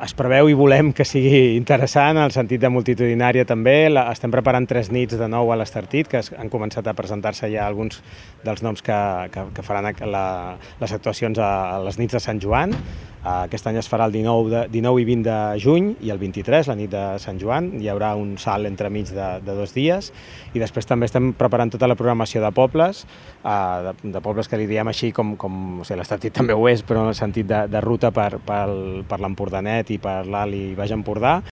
Es preveu i volem que sigui interessant, en el sentit de multitudinària també. Estem preparant 3 nits de nou a l'Estartit, que han començat a presentar-se ja alguns dels noms que faran les actuacions a les nits de Sant Joan. Aquest any es farà el 19 i 20 de juny i el 23, la nit de Sant Joan. Hi haurà un salt entremig de 2 dies i després també estem preparant tota la programació de pobles, de pobles que li diem així com l'Estartit també ho és, però en el sentit de ruta per l'Empordanet i per l'Alt i Baix Empordà.